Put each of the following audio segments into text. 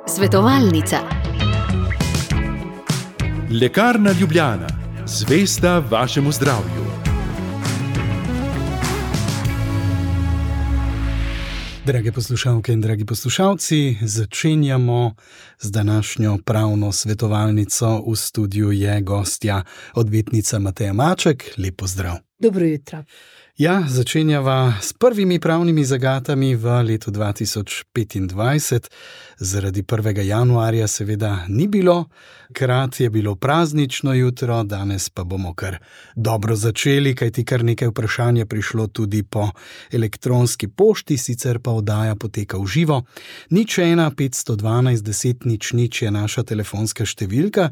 Svetovalnica. Lekarna Ljubljana, zvesta vašemu zdravju. Drage poslušalke in dragi poslušalci, začenjamo z današnjo pravno svetovalnico. V studiu je gostja odvetnica Mateja Maček. Lep pozdrav. Dobro jutro. Ja, začenjava s prvimi pravnimi zagatami v letu 2025. Zaradi 1. januarja seveda ni bilo, krat je bilo praznično jutro, danes pa bomo kar dobro začeli, kajti kar nekaj vprašanj je prišlo tudi po elektronski pošti, sicer pa oddaja poteka v živo. 01 512 10 00 je naša telefonska številka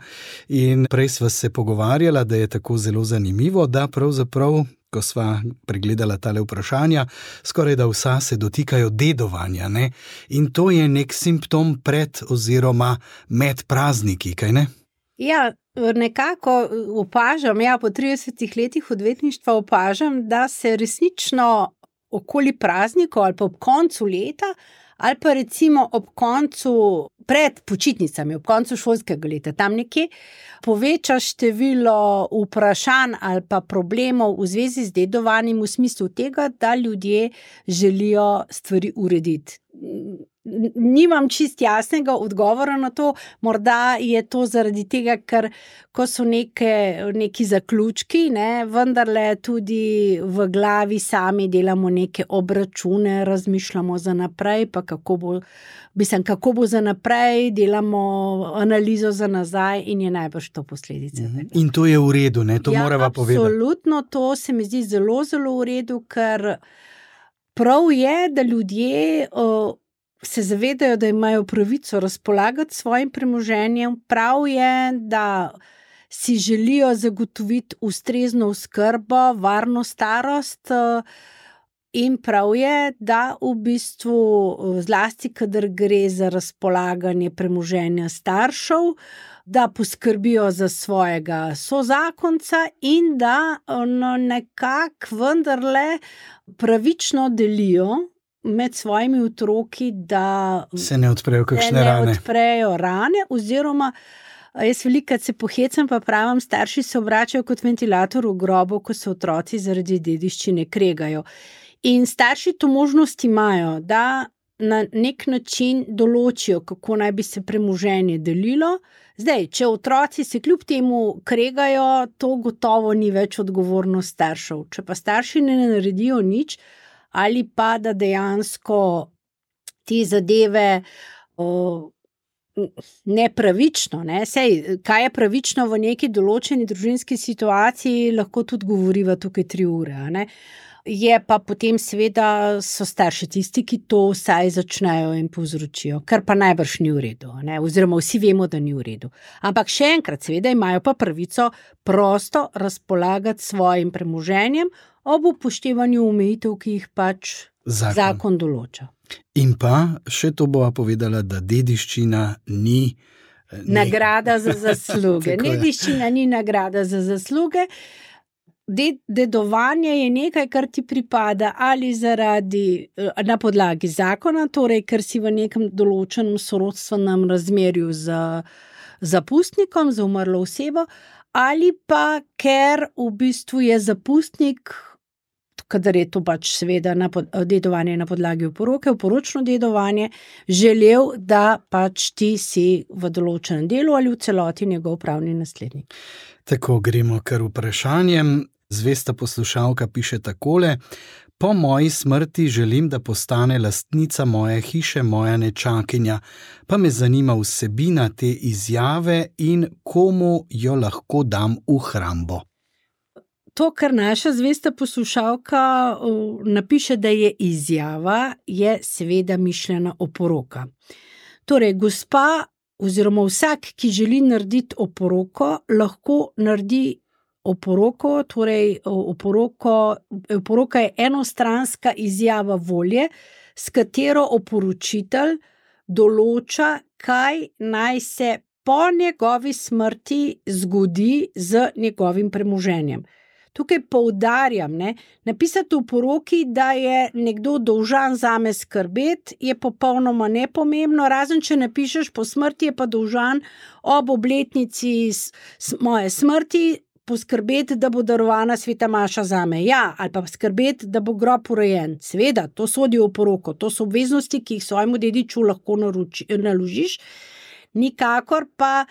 in prej sva se pogovarjala, da je tako zelo zanimivo, da pravzaprav, ko sva pregledala tale vprašanja, skoraj da vsa se dotikajo dedovanja, ne? In to je nek simptom pred oziroma med prazniki, kaj ne? Ja, nekako opažam, po 30 letih odvetništva opažam, da se resnično okoli praznikov ali pa ob koncu leta ali pa recimo ob koncu pred počitnicami, ob koncu šolskega leta, tam nekje, poveča število vprašanj ali pa problemov v zvezi z dedovanjem v smislu tega, da ljudje želijo stvari urediti. Nimam čist jasnega odgovora na to, morda je to zaradi tega, ker ko so neki zaključki, vendarle tudi v glavi sami delamo neke obračune, razmišljamo za naprej, pa kako bo za naprej, delamo analizo za nazaj in je najbrž to posledica. In to je v redu, ne? To morava povedati. Absolutno, to se mi zdi zelo, zelo v redu, ker prav je, da ljudje se zavedajo, da imajo pravico razpolagati s svojim premoženjem, prav je, da si želijo zagotoviti ustrezno oskrbo, varno starost in prav je, da v bistvu zlasti, kadar gre za razpolaganje premoženja staršev, da poskrbijo za svojega sozakonca in da nekako vendarle pravično delijo med svojimi otroki, da se ne odprejo kakšne rane. Ne odprejo rane, oziroma jaz velikokrat se pohecam, pa pravim, starši se obračajo kot ventilator v grobu, ko se otroci zaradi dediščine kregajo. In starši to možnost imajo, da na nek način določijo, kako naj bi se premoženje delilo. Zdaj, če otroci se kljub temu kregajo, to gotovo ni več odgovornost staršev. Če pa starši ne naredijo nič, ali pa da dejansko te zadeve nepravično, Sej, kaj je pravično v neki določeni družinski situaciji, lahko tudi govoriva tukaj 3 ure, Je pa potem seveda so starši tisti, ki to vsaj začnejo in povzročijo, kar pa najbrž ni v redu, oziroma vsi vemo, da ni v redu. Ampak še enkrat, seveda imajo pa pravico prosto razpolagati svojim premoženjem ob upoštevanju omejitev, ki jih pač zakon določa. In pa še to bova povedala, da dediščina ni nagrada za zasluge. Dediščina ni nagrada za zasluge. Dedovanje je nekaj, kar ti pripada ali na podlagi zakona, torej ker si v nekem določenem sorodstvenem razmerju z zapustnikom, z umrlo osebo, ali pa ker v bistvu je zapustnik, kadar je to pač seveda dedovanje na podlagi oporoke, oporočno dedovanje, želel, da pač ti si v določenem delu ali v celoti njegov pravni naslednik. Tako, gremo kar vprašanjem. Zvesta poslušalka piše takole: po moji smrti želim, da postane lastnica moje hiše moja nečakinja, pa me zanima vsebina te izjave in komu jo lahko dam v hrambo. To, kar naša zvesta poslušalka napiše, da je izjava, je seveda mišljena oporoka. Torej, gospa oziroma vsak, ki želi narediti oporoko, lahko naredi oporoko, torej oporoka je enostranska izjava volje, s katero oporočitelj določa, kaj naj se po njegovi smrti zgodi z njegovim premoženjem. tukaj poudarjam, napisati v poroki, da je nekdo dolžan zame skrbeti, je popolnoma nepomembno, razen če napišeš po smrti, je pa dolžan ob obletnici moje smrti poskrbeti, da bo darovana sveta maša zame. Ja, ali pa skrbeti, da bo grob urejen. Seveda, to sodi v poroko, to so obveznosti, ki jih svojemu dediču lahko naložiš, nikakor pa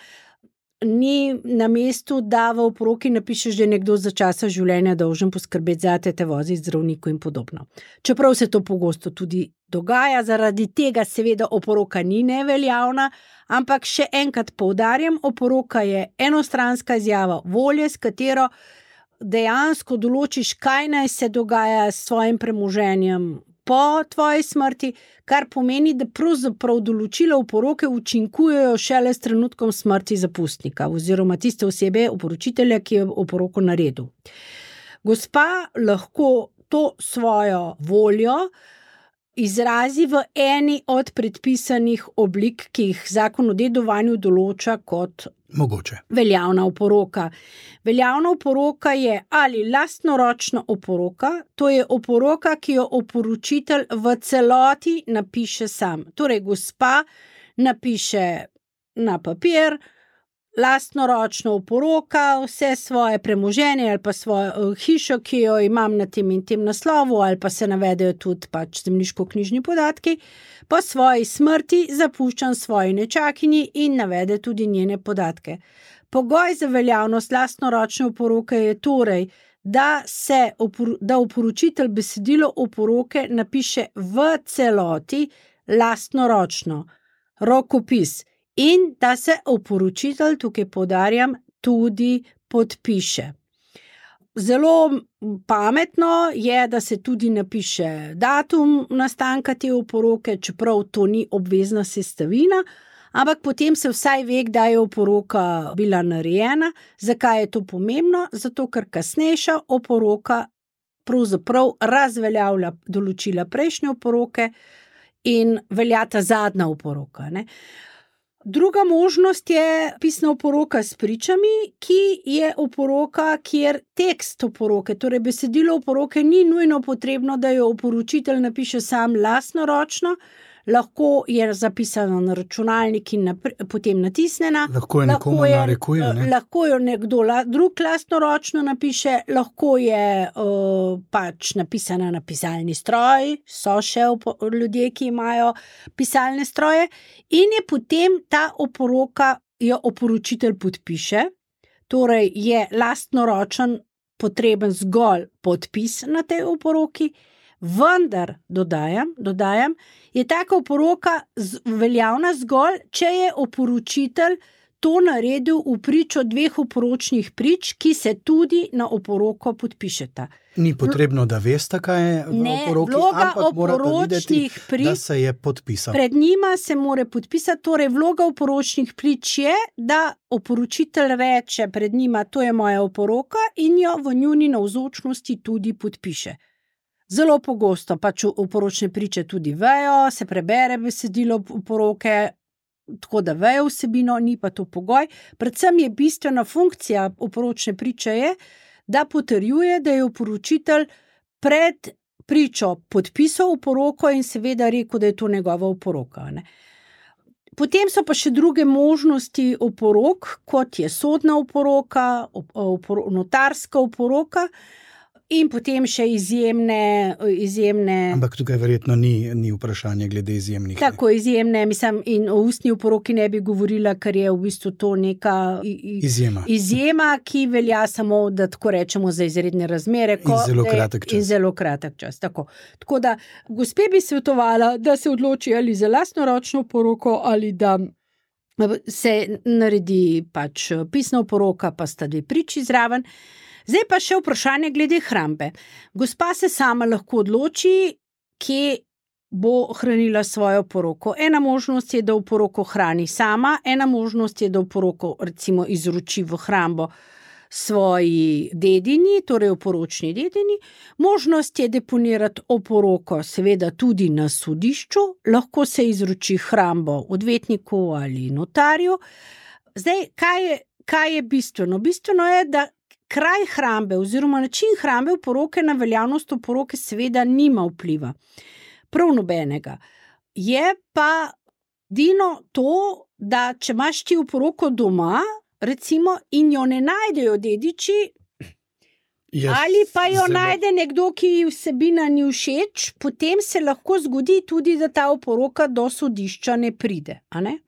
ni na mestu, da v oporoki napišeš, da je nekdo za časa življenja dolžen poskrbeti zate, te voziti zdravniku in podobno. Čeprav se to pogosto tudi dogaja, zaradi tega seveda oporoka ni neveljavna, ampak še enkrat poudarjam, oporoka je enostranska izjava volje, s katero dejansko določiš, kaj naj se dogaja s svojim premoženjem po tvoji smrti, kar pomeni, da pravzaprav določila oporoke učinkujejo šele s trenutkom smrti zapustnika oziroma tiste osebe, oporočitelja, ki je oporoko naredil. Gospa lahko to svojo voljo izrazi v eni od predpisanih oblik, ki jih Zakon o dedovanju določa kot mogoče veljavna oporoka. Veljavna oporoka je ali lastnoročna oporoka, to je oporoka, ki jo oporočitelj v celoti napiše sam. Torej, gospa napiše na papir lastnoročno oporoka, vse svoje premoženje ali pa svojo hišo, ki jo imam na tem in tem naslovu, ali pa se navedejo tudi zemljiško-knjižni podatki, po svoji smrti zapuščam svoji nečakinji in navede tudi njene podatke. Pogoj za veljavnost lastnoročne oporoke je torej, da oporočitelj besedilo oporoke napiše v celoti lastnoročno, rokopis, in da se oporočitelj, tukaj poudarjam, tudi podpiše. Zelo pametno je, da se tudi napiše datum nastanka te oporoke, čeprav to ni obvezna sestavina, ampak potem se vsaj ve, kdaj je oporoka bila narejena. Zakaj je to pomembno? Zato, ker kasnejša oporoka pravzaprav razveljavlja določila prejšnje oporoke in veljata zadnja oporoka, Druga možnost je pisna oporoka s pričami, ki je oporoka, kjer tekst oporoke, torej besedilo oporoke, ni nujno potrebno, da jo oporočitelj napiše sam lastnoročno, lahko je zapisano na računalnik in potem natisnjena. Lahko je nekomu narekuje. Lahko jo nekdo drug lastnoročno napiše, lahko je napisana na pisalni stroj, so še ljudje, ki imajo pisalne stroje, in je potem ta oporoka, jo oporočitelj podpiše, torej je lastnoročen potreben zgolj podpis na tej oporoki, vendar, dodajam, je taka oporoka veljavna zgolj, če je oporočitelj to naredil v pričo dveh oporočnih prič, ki se tudi na oporoko podpišeta. Ni potrebno, da veste, kaj je v oporoki, ampak morate videti, da se je podpisal. Pred njima se mora podpisati, torej vloga oporočnih prič je, da oporočitelj reče pred njima, to je moja oporoka, in jo v njuni navzočnosti tudi podpiše. Zelo pogosto oporočne priče tudi vejo, se prebere besedilo oporoke, tako da vejo vsebino, ni pa to pogoj. Predvsem je bistvena funkcija oporočne priče je, da potrjuje, da je oporočitelj pred pričo podpisal oporoko in seveda rekel, da je to njegova oporoka. Potem so pa še druge možnosti oporok, kot je sodna oporoka, notarska oporoka, in potem še izjemne... Ampak tukaj verjetno ni vprašanje glede izjemnih. Tako izjemne, in o ustni oporoki ne bi govorila, ker je v bistvu to neka izjema, ki velja samo, da tako rečemo, za izredne razmere. In zelo kratek čas. In zelo kratek čas, tako. Tako da, gospe bi svetovala, da se odloči ali za lastnoročno oporoko, ali da se naredi pisna oporoka, pa sta dve priči zraven. Zdaj pa še vprašanje glede hrambe. Gospa se sama lahko odloči, kje bo hranila svojo oporoko. Ena možnost je, da oporoko hrani sama, ena možnost je, da oporoko recimo izroči v hrambo svoji dedini, torej oporočni dedini. Možnost je deponirati oporoko seveda tudi na sodišču, lahko se izroči hrambo odvetniku ali notarju. Zdaj, kaj je bistveno? Bistveno je, da kraj hrambe oziroma način hrambe oporoke na veljavnost oporoke seveda nima vpliva. Prav nobenega. Je pa edino to, da če imaš ti oporoko doma, recimo, in jo ne najdejo dediči, ali pa jo najde nekdo, ki ji vsebina ni všeč, potem se lahko zgodi tudi, da ta oporoka do sodišča ne pride. A ne?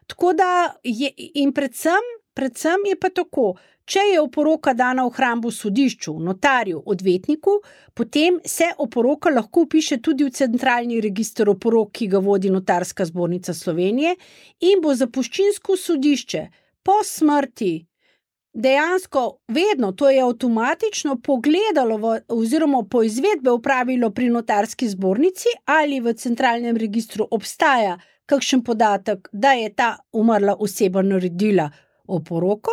Tako da in predvsem je pa tako, če je oporoka dana v hrambo sodišču, notarju, odvetniku, potem se oporoka lahko vpiše tudi v centralni register oporok, ki ga vodi Notarska zbornica Slovenije, in bo zapuščinsko sodišče po smrti dejansko vedno, to je avtomatično pogledalo oziroma po izvedbe opravilo pri Notarski zbornici, ali v centralnem registru obstaja kakšen podatek, da je ta umrla oseba naredila oporoko,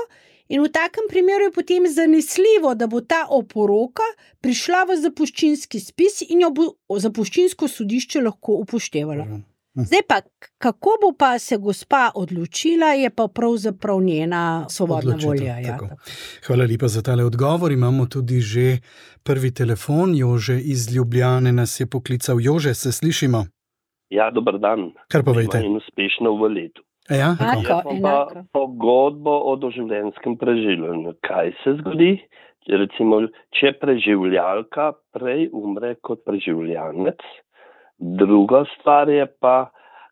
in v takem primeru je potem zanesljivo, da bo ta oporoka prišla v zapuščinski spis in jo bo zapuščinsko sodišče lahko upoštevalo. Zdaj pa, kako bo pa se gospa odločila, je pa pravzaprav njena svobodna volja. Ja. Hvala lepa za tale odgovor. Imamo tudi že prvi telefon. Jože iz Ljubljane nas je poklical. Jože, se slišimo? Ja, dober dan. Kar povejte. In uspešno v letu. Ja, Jaz pa pogodbo o doživljenjskem preživljanju. Kaj se zgodi? Recimo, če preživljalka prej umre kot preživljanec. Druga stvar je pa,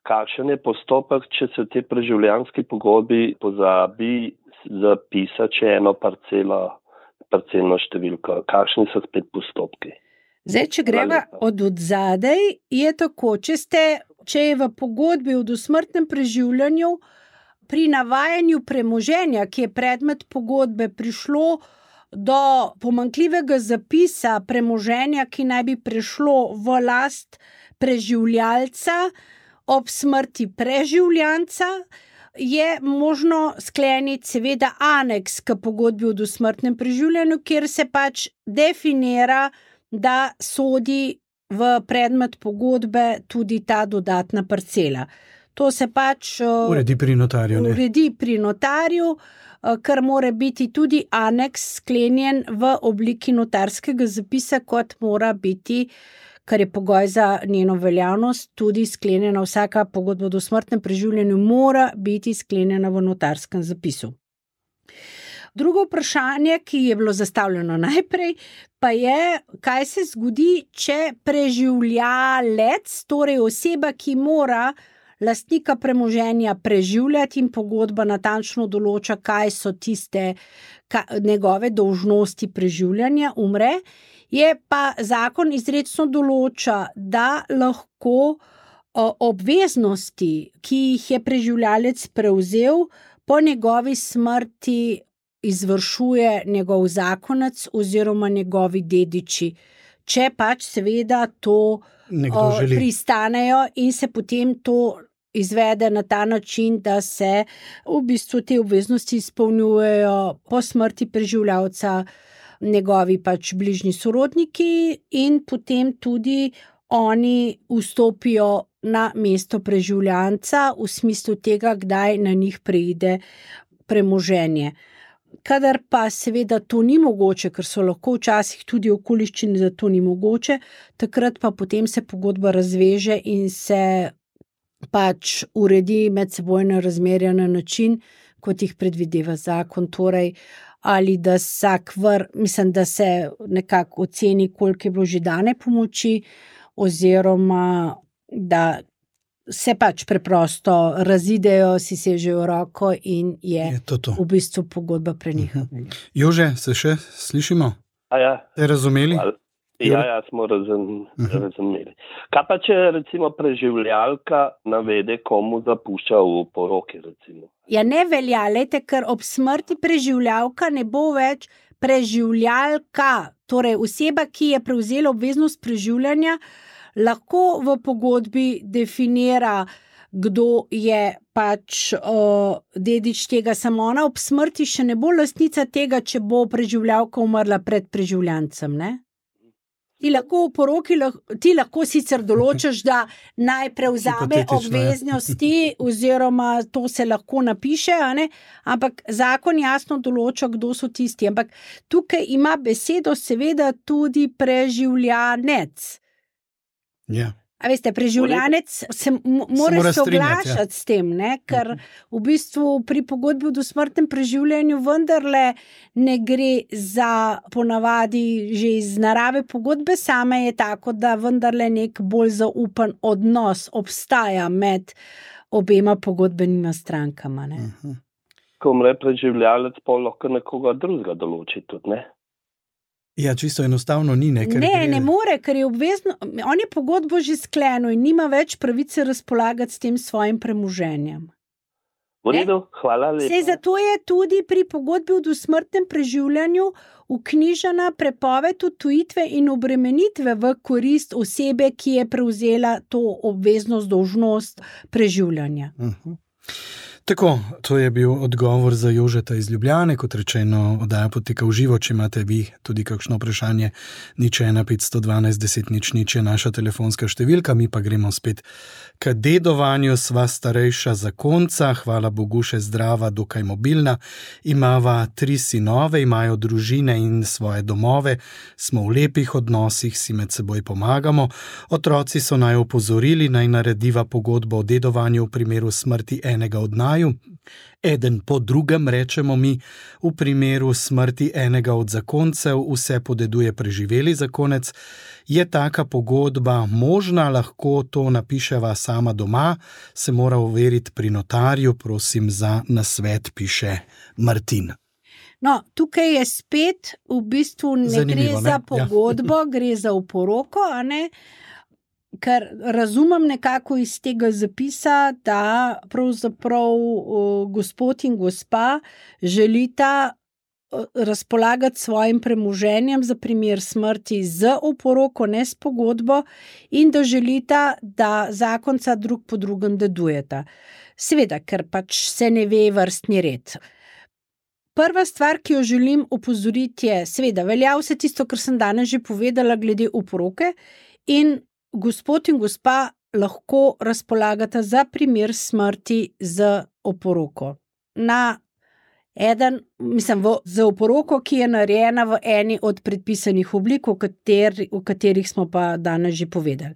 kakšen je postopek, če se v tej preživljanski pogodbi pozabi zapisati še eno parcelno številko. Kakšni so spet postopki? Zdaj, če greva od odzadej, je tako, če je v pogodbi o dosmrtnem preživljanju pri navajanju premoženja, ki je predmet pogodbe, prišlo do pomanjkljivega zapisa premoženja, ki naj bi prešlo v last preživljalca ob smrti preživljanca, je možno skleniti seveda aneks k pogodbi o dosmrtnem preživljanju, kjer se pač definira, da sodi v predmet pogodbe tudi ta dodatna parcela. To se pač uredi pri notarju, ne? Uredi pri notarju, kar mora biti tudi aneks sklenjen v obliki notarskega zapisa, kot mora biti, kar je pogoj za njeno veljavnost, tudi sklenjena vsaka pogodba o dosmrtnem preživljanju mora biti sklenjena v notarskem zapisu. Drugo vprašanje, ki je bilo zastavljeno najprej, pa je, kaj se zgodi, če preživljalec, torej oseba, ki mora lastnika premoženja preživljati in pogodba natančno določa, kaj so tiste njegove dolžnosti preživljanja, umre, je pa zakon izrecno določa, da lahko obveznosti, ki jih je preživljalec prevzel, po njegovi smrti izvršuje njegov zakonec oziroma njegovi dediči, če pač seveda to pristanejo in se potem to izvede na ta način, da se v bistvu te obveznosti izpolnjujejo po smrti preživljalca njegovi pač bližnji sorodniki in potem tudi oni vstopijo na mesto preživljanca v smislu tega, kdaj na njih preide premoženje. Kadar pa seveda to ni mogoče, ker so lahko včasih tudi okoliščine, da to ni mogoče, takrat pa potem se pogodba razveže in se pač uredi medsebojna razmerja na način, kot jih predvideva zakon, torej ali da da se nekako oceni, koliko je bilo že dane pomoči, oziroma da se pač preprosto razidejo, si sežejo roko in je to. V bistvu pogodba preneha. Jože, se še slišimo? Ja. Ste razumeli? Ja, smo razumeli. Kaj pa, če recimo preživljalka navede, komu zapušča v poroki, recimo? Ja, ne velja, lejte, ker ob smrti preživljalka ne bo več preživljalka, torej oseba, ki je prevzela obveznost preživljanja, lahko v pogodbi definira, kdo je pač dedič tega, samo ona ob smrti še ne bo lastnica tega, če bo preživljalka umrla pred preživljancem, ne? Ti lahko v poroki, ti lahko sicer določiš, da naj prevzame obveznosti, oziroma to se lahko napiše, a ne? Ampak zakon jasno določa, kdo so tisti. Ampak tukaj ima besedo seveda tudi preživljanec. Ja. A veste, preživljanec se mora soglašati s tem, ne? Ker v bistvu pri pogodbi o dosmrtnem preživljanju vendarle ne gre za ponavadi že iz narave pogodbe same je tako, da vendarle nek bolj zaupan odnos obstaja med obema pogodbenima strankama. Ne? Ko umre preživljalec, pa lahko nekoga drugega določi tudi, ne? Ja, čisto enostavno ni. Ne more, ker je obvezno, on je pogodbo že sklenil in nima več pravice razpolagati s tem svojim premoženjem. V redu, hvala lepa. Saj zato je tudi pri pogodbi o dosmrtnem preživljanju vknjižena prepoved odtujitve in obremenitve v korist osebe, ki je prevzela to obveznost, dolžnost preživljanja. Tako, to je bil odgovor za Jožeta iz Ljubljane, kot rečeno, oddaja poteka v živo, če imate vi tudi kakšno vprašanje, 01512 10 00 je naša telefonska številka, mi pa gremo spet k dedovanju, sva starejša zakonca, hvala Bogu še zdrava, dokaj mobilna, imava 3 sinove, imajo družine in svoje domove, smo v lepih odnosih, si med seboj pomagamo, otroci so naj opozorili, naj narediva pogodbo o dedovanju v primeru smrti enega od naju, eden po drugem, rečemo mi, v primeru smrti enega od zakoncev vse podeduje preživeli zakonec. Je taka pogodba možna, lahko to napiševa sama doma, se mora overiti pri notarju, prosim za nasvet, piše Martin. No, tukaj je spet v bistvu ne Zanimivo, gre za pogodbo, gre za oporoko, a ne? Ker razumem nekako iz tega zapisa, da pravzaprav gospod in gospa želita razpolagati svojim premoženjem za primer smrti z oporoko, ne s pogodbo, in da želita, da zakonca drug po drugem dedujeta. Seveda, ker pač se ne ve vrstni red. Prva stvar, ki jo želim opozoriti je, seveda, velja vse tisto, kar sem danes že povedala glede oporoke, in gospod in gospa lahko razpolagata za primer smrti z oporoko. Z oporoko, ki je narejena v eni od predpisanih oblik, o katerih smo pa danes že povedali.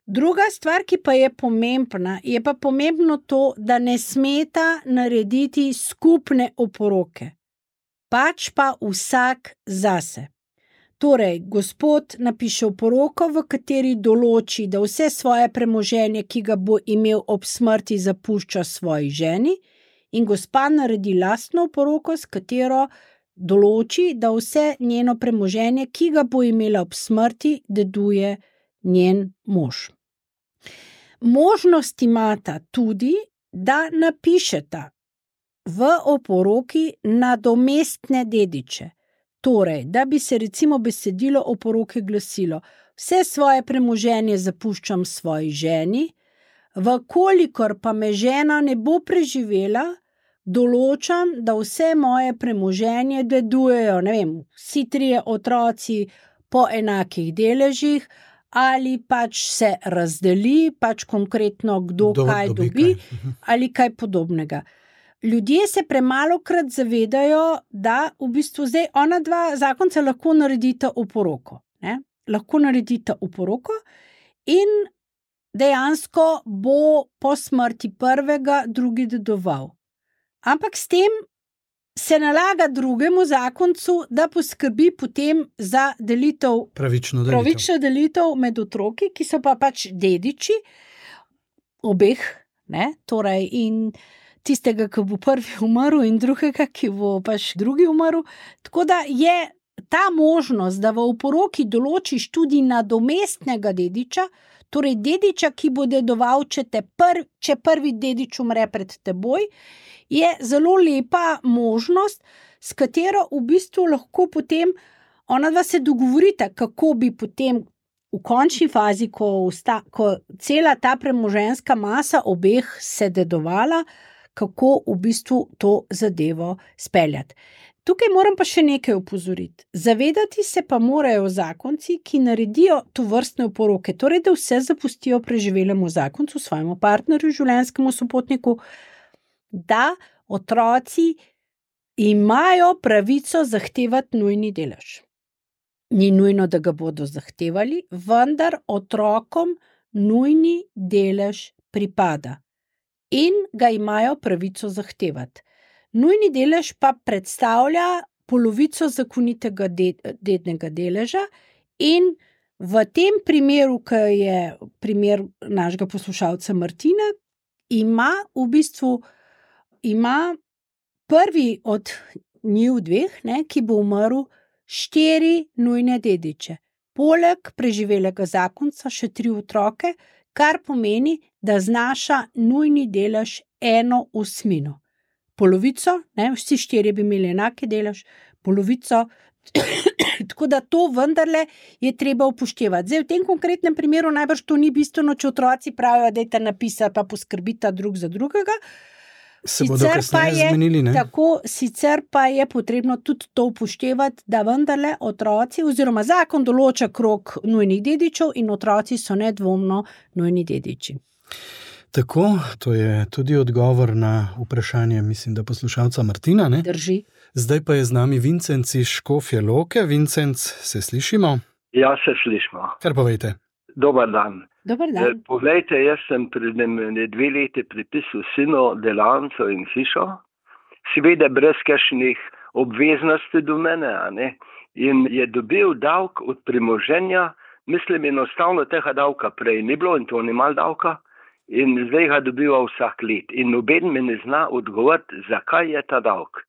Druga stvar, ki pa je pomembna, je pa pomembno to, da ne smeta narediti skupne oporoke, pač pa vsak zase. Torej, gospod napiše oporoko, v kateri določi, da vse svoje premoženje, ki ga bo imel ob smrti, zapušča svoji ženi, in gospa naredi lastno oporoko, s katero določi, da vse njeno premoženje, ki ga bo imela ob smrti, deduje njen mož. Možnost imata tudi, da napišeta v oporoki nadomestne dediče. Torej, da bi se recimo besedilo oporoke glasilo: vse svoje premoženje zapuščam svoji ženi, vkolikor pa me žena ne bo preživela, določam, da vse moje premoženje dedujejo, vsi 3 otroci po enakih deležih, ali pač se razdeli, pač konkretno kdo kaj dobi, ali kaj podobnega. Ljudje se premalokrat zavedajo, da v bistvu zdaj ona dva zakonca lahko naredita oporoko. Lahko naredita oporoko in dejansko bo po smrti prvega drugi dedoval. Ampak s tem se nalaga drugemu zakoncu, da poskrbi potem za delitev, pravično delitev med otroki, ki so pa pač dediči obeh, torej in tistega, ki bo prvi umrl, in drugega, ki bo pač drugi umrl. Tako da je ta možnost, da v oporoki določiš tudi nadomestnega dediča, torej dediča, ki bo dedoval, če prvi dedič umre pred teboj, je zelo lepa možnost, s katero v bistvu lahko potem ona dva se dogovorita, kako bi potem v končni fazi, ko cela ta premoženjska masa obeh se dedovala, kako v bistvu to zadevo speljati. Tukaj moram pa še nekaj opozoriti. Zavedati se pa morajo zakonci, ki naredijo to vrstne oporoke, torej da vse zapustijo preživelemu zakoncu, svojemu partnerju, življenjskemu sopotniku, da otroci imajo pravico zahtevati nujni delež. Ni nujno, da ga bodo zahtevali, vendar otrokom nujni delež pripada in ga imajo pravico zahtevati. Nujni delež pa predstavlja polovico zakonitega dednega deleža in v tem primeru, ki je primer našega poslušalca Martina, ima prvi od njiju dveh, ki bo umrl, 4 nujne dediče. Poleg preživelega zakonca še 3 otroke, kar pomeni, da znaša nujni delež 1/8. Polovico, vsi 4 bi imeli enake delež, polovico, tako da to vendarle je treba upoštevati. Zdaj, v tem konkretnem primeru najbrž to ni bistveno, če otroci pravijo, dajte napisati, pa poskrbita drug za drugega. Se bodo kasneje zmenili, ne? Tako, sicer pa je potrebno tudi to upoštevati, da vendarle otroci, oziroma zakon določa krog nujnih dedičev in otroci so nedvomno nujni dediči. Tako, to je tudi odgovor na vprašanje, mislim, da poslušalca Martina, ne? Drži. Zdaj pa je z nami Vincenc iz Škofje Loke. Vincenc, se slišimo? Ja, se slišimo. Kar povejte. Dobar dan. Dobar dan. Poglejte, jaz sem pred 2 leti pripisal sinu delavnico in hišo, seveda brez kakšnih obveznosti do mene, a ne? In je dobil davek od premoženja, mislim, enostavno tega davka prej ni bilo in to ni malo davka, in zdaj ga dobiva vsak let. In noben me ne zna odgovoriti, zakaj je ta davek.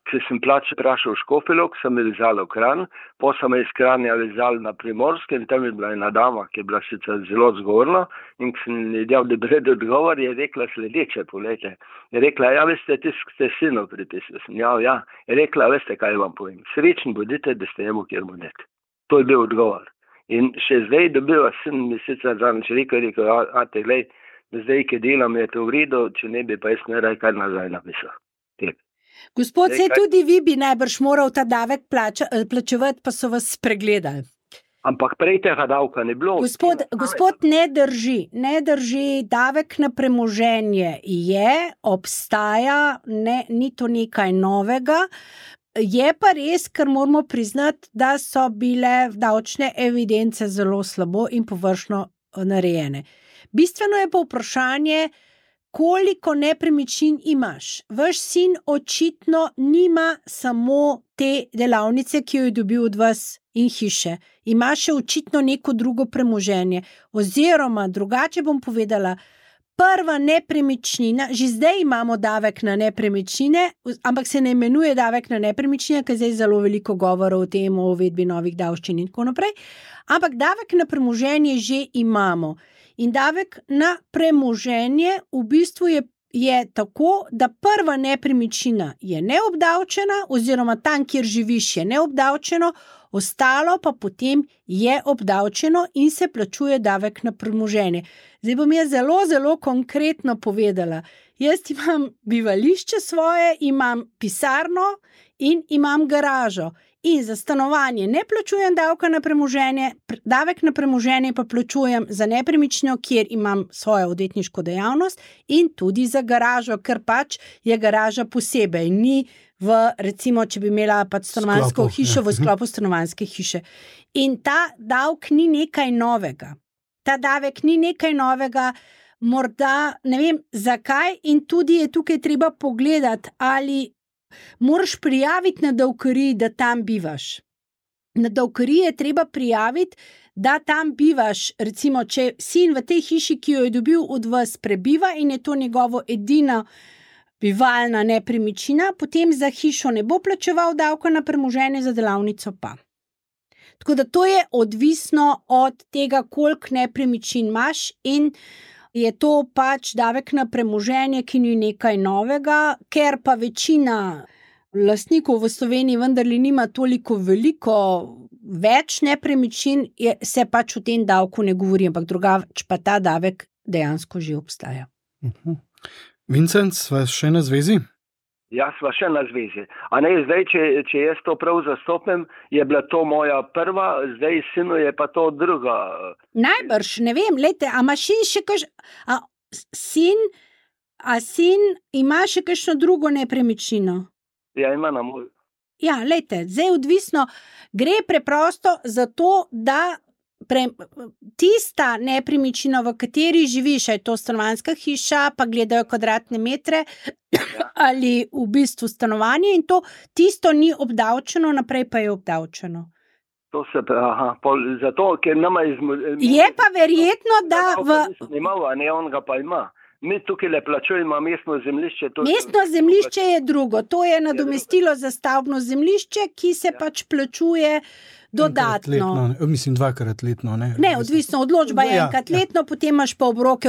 Če sem vprašal v Škofjo Loko, sem me vezal v Kranj, potem sem me iz Kranja vezal na Primorske in tam je bila ena dama, ki je bila sicer zelo zgovorna, in ko sem dal dobred odgovor, je rekla sledeče, poglejte. Je rekla, ja, veste, ste sinu pripisali. Ja. Je rekla, veste, kaj vam povem. Srečni bodite, da ste jemu kjer bodite. To je bil odgovor. In še zdaj dobiva sin mi sicer zadnjič rekel, glej, da zdaj, ki delam, je to v redu, če ne bi pa jaz ne raj kar nazaj napisal. Gospod, se tudi vi bi najbrž moral ta davek plačevati, pa so vas spregledali. Ampak prej tega davka ne bilo. Gospod, ne drži, davek na premoženje obstaja, ni to nekaj novega. Je pa res, ker moramo priznati, da so bile davčne evidence zelo slabo in površno narejene. Bistveno je pa vprašanje, koliko nepremičnin imaš. Vaš sin očitno nima samo te delavnice, ki jo je dobil od vas in hiše. Ima še očitno neko drugo premoženje. Oziroma, drugače bom povedala, prva nepremičnina, že zdaj imamo davek na nepremičnine, ampak se ne imenuje davek na nepremičnine, ker zdaj zelo veliko govora o tem, o uvedbi novih davščin in tako naprej. Ampak davek na premoženje že imamo. In davek na premoženje v bistvu je tako, da prva nepremičnina je neobdavčena, oziroma tam, kjer živiš, je neobdavčeno, ostalo pa potem je obdavčeno in se plačuje davek na premoženje. Zdaj bom jaz zelo, zelo konkretno povedala. Jaz imam bivališče svoje, imam pisarno in imam garažo. In za stanovanje ne plačujem davka na premoženje, davek na premoženje pa plačujem za nepremičnino, kjer imam svojo odvetniško dejavnost, in tudi za garažo, ker pač je garaža posebej, ni recimo, če bi imela pač stanovanjsko hišo v sklopu stanovanjske hiše. In ta davek ni nekaj novega. Ta davek ni nekaj novega, morda ne vem zakaj, in tudi je tukaj treba pogledati, ali moraš prijaviti na davkariji, da tam bivaš. Na davkariji je treba prijaviti, da tam bivaš, recimo, če sin v tej hiši, ki jo je dobil od vas, prebiva in je to njegovo edina bivalna nepremičnina, potem za hišo ne bo plačeval davka na premoženje, za delavnico pa. Tako da to je odvisno od tega, koliko nepremičnin imaš, in je to pač davek na premoženje, ki ni nekaj novega, ker pa večina lastnikov v Sloveniji vendarle nima toliko veliko več nepremičnin, se pač o tem davku ne govori, ampak drugače pa ta davek dejansko že obstaja. Vincenc, vas še na zvezi? Jaz sva še na zvezi. A ne, zdaj, če jaz to prav zastopim, je bila to moja prva, zdaj sinu je pa to druga. Najbrž, ne vem, lejte, a imaš še sin ima še kakšno drugo nepremičnino? Ja, ima na moj. Ja, lejte, zdaj odvisno, gre preprosto za to, da tista nepremičnina, v kateri živiš, je to stanovanjska hiša, pa gledajo kvadratne metre ali v bistvu stanovanje in to tisto ni obdavčeno, naprej pa je obdavčeno. To se pravi, zato, ker nama je pa verjetno, da Imal, a ne, on ga pa ima. Mi tukaj le plačujemo mestno zemljišče. Mestno zemljišče je drugo, to je nadomestilo za stavbno zemljišče, ki se pač plačuje dodatno. Letno, mislim, 2-krat letno. Ne, odvisno, odločba je enkrat letno, potem imaš pa obroke,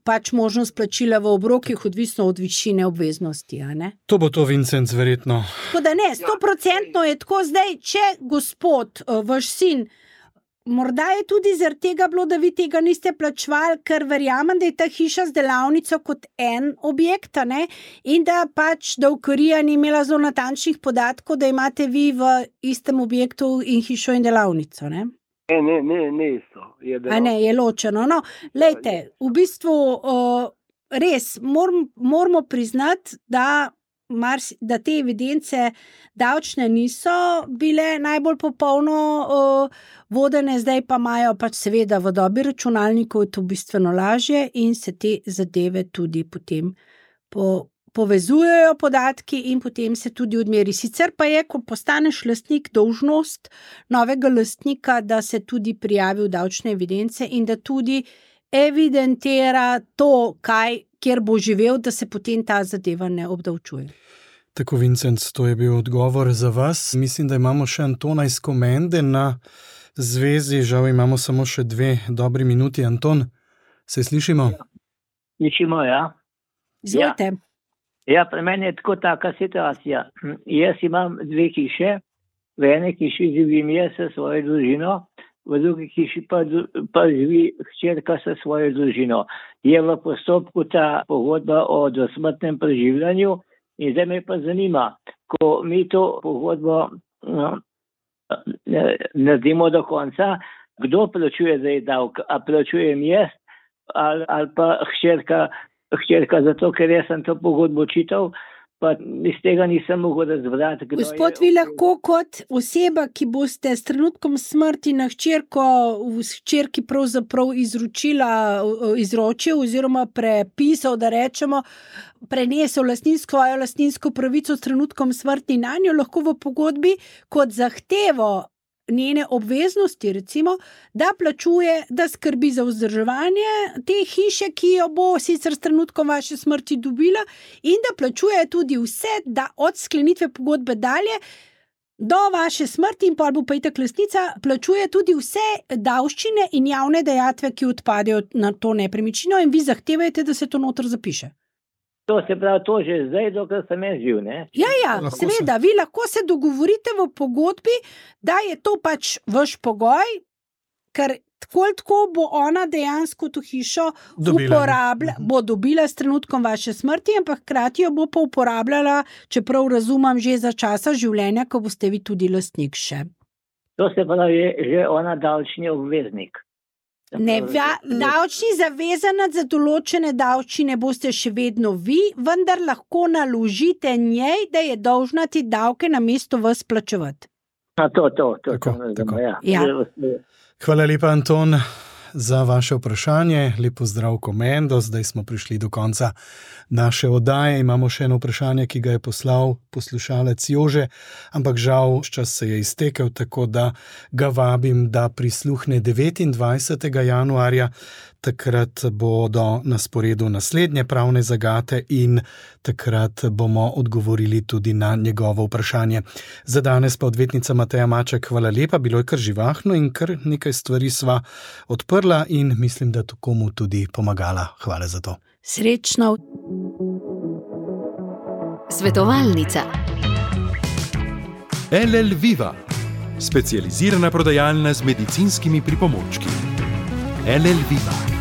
pač možnost plačila v obrokih, odvisno od višine obveznosti. A ne? To bo to, Vincent, verjetno. Tako da ne, 100% je tako zdaj, če gospod, vaš sin, morda je tudi zaradi tega bilo, da vi tega niste plačevali, ker verjamem, da je ta hiša z delavnico kot en objekt, ne? In da pač davkarija ni imela zelo natančnih podatkov, da imate vi v istem objektu in hišo in delavnico, ne? Ne isto. A ne, je ločeno. No, lejte, v bistvu res moramo priznati, da te evidence davčne niso bile najbolj popolno vodene, zdaj pa imajo pač seveda v dobi računalnikov je to bistveno lažje in se te zadeve tudi potem povezujejo podatki in potem se tudi odmeri. Sicer pa je, ko postaneš lastnik, dolžnost novega lastnika, da se tudi prijavi v davčne evidence in da tudi evidentira to, kjer bo živel, da se potem ta zadeva ne obdavčuje. Tako, Vincent, to je bil odgovor za vas. Mislim, da imamo še Antona iz Komende na zvezi. Žal imamo samo še 2 dobri minuti. Anton, se slišimo? Slišimo, ja. Izvolite. Ja, pri meni je tako taka situacija. Jaz imam 2 hiše, v eni hiši živim jaz s svojo družino, v drugi hiši pa živi hčerka s svojo družino. Je v postopku ta pogodba o dosmrtnem preživljanju in zdaj me pa zanima, ko mi to pogodbo naredimo do konca, kdo plačuje zdaj davek? A plačujem jaz ali pa hčerka zato, ker jaz sem to pogodbo čital, pa iz tega nisem mogel razbrati. Gospod, vi lahko kot oseba, ki boste s trenutkom smrti na hčerki pravzaprav izročil oziroma prepisal, da rečemo, prenesel svojo lastninsko pravico s trenutkom smrti na njo, lahko v pogodbi kot zahtevo njene obveznosti, recimo, da plačuje, da skrbi za vzdrževanje te hiše, ki jo bo sicer s trenutkom vaše smrti dobila in da plačuje tudi vse, da od sklenitve pogodbe dalje do vaše smrti in pol bo pa itak lastnica, plačuje tudi vse davščine in javne dajatve, ki odpadejo na to nepremičnino in vi zahtevate, da se to noter zapiše. To se pravi, to že zdaj, dokler sem jaz živ, ne? Ja, seveda, vi lahko se dogovorite v pogodbi, da je to pač vaš pogoj, ker tako bo ona dejansko to hišo bo dobila s trenutkom vaše smrti, ampak hkrati jo bo pa uporabljala, čeprav razumem, že za časa življenja, ko boste vi tudi lastnik še. To se pravi, je že ona davčni obveznik. Ne, davčni zavezanec za določene davčine boste še vedno vi, vendar lahko naložite njej, da je dolžna ti davke namesto vas plačevati. To. Tako. Ja. Hvala lepa, Anton, za vaše vprašanje. Lep pozdrav Komendo, zdaj smo prišli do konca naše oddaje. Imamo še eno vprašanje, ki ga je poslal poslušalec Jože, ampak žal čas se je iztekel, tako da ga vabim, da prisluhne 29. januarja. Takrat bodo na sporedu naslednje pravne zagate in takrat bomo odgovorili tudi na njegovo vprašanje. Za danes pa odvetnica Mateja Maček, hvala lepa, bilo je kar živahno in kar nekaj stvari sva odprla in mislim, da to komu tudi pomagala. Hvala za to. Srečno. Svetovalnica. LL Viva, specializirana prodajalna z medicinskimi pripomočki. LL Viva.